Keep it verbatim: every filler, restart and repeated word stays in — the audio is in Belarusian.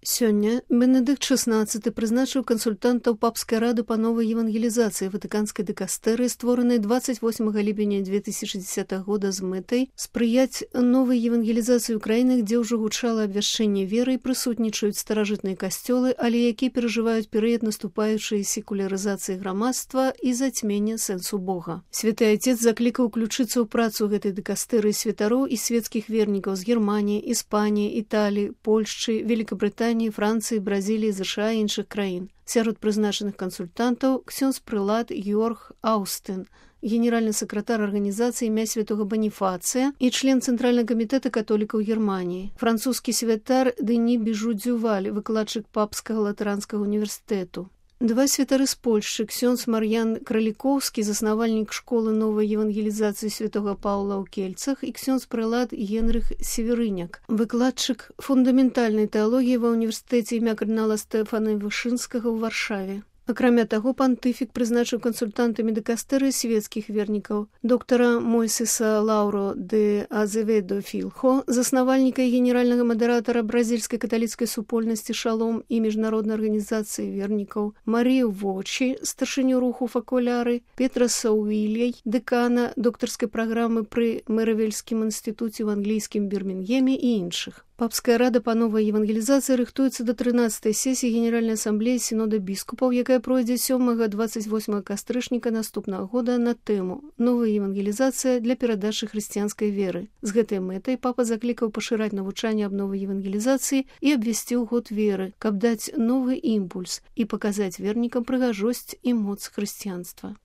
Сёння Бенедыкт шестнадцаты прызначыў кансультантаў папскай рады па новай евангелізацыі ватыканскай дыкастэрыі, створанай двадцать восьмага ліпеня две тысячи десятого года з мэтай спрыяць новай евангелізацыі ўкраіны, дзе ўжо гучала абвяшчэнне веры і прысутнічаюць старажытныя касцёлы, але якія перажываюць перыяд наступаючай секулярызацыі грамадства і зацьмення сэнсу Бога. Святы Айцец заклікаў уключыцца ў працу гэтай дыкастэрыі святароў і свецкіх вернікаў з Германіі, Іспаніі, Італіі, Польшчы, Великабрытаніі, Францыі, Бразіліі, ЗША і іншых краін. Сярод прызначаных кансультантаў ксёндз прылад Георг Аустын, генеральны сакратар арганізацыі імя святого Баніфацыя і член Цэнтральнага камітэта католікаў Германіі, французскі святар Дэні Біжу-Дзюваль, выкладчык папскага латаранскага універсітэту. Два святары з Польшчы, ксёндз Мар'ян Кралікоўскі, заснавальнік школы новай евангелізацыі святого Паўла ў Кельцах, і ксёндз прылад Генрых Северыняк, выкладчык фундаментальнай тэалогіі ва ўніверсітэце імя кардынала Стэфана Вышынскага ў Варшаве. Акрамя таго, пантыфік прызначыў кансультантамі дыкастэрыі свецкіх вернікаў доктара Мойсеса Лаўро де Азеведо Філхо, заснавальніка і генеральнага мадэратара бразільскай каталіцкай супольнасці «Шалом» і міжнароднай арганізацыі вернікаў, Марію Вочі, старшыню руху «Факуляры», Петраса Уільяй, дэкана доктарскай праграмы пры Мэравельскім інстытуце ў англійскім Бірмінгеме і іншых. Папская рада па новай евангелізацыі рыхтуецца да трынаццатай сесіі Генеральнай асамблеі сінода біскупаў, якая пройдзе сёмага двадцать восьмага кастрычніка наступнага года на тэму «Новая евангелізацыя для перадачы хрысціянскай веры». З гэтай мэтай папа заклікаў пашыраць навучанне аб новай евангелізацыі і абвесціў год веры, каб даць новы імпульс і паказаць вернікам прыгажосць і моц хрысціянства.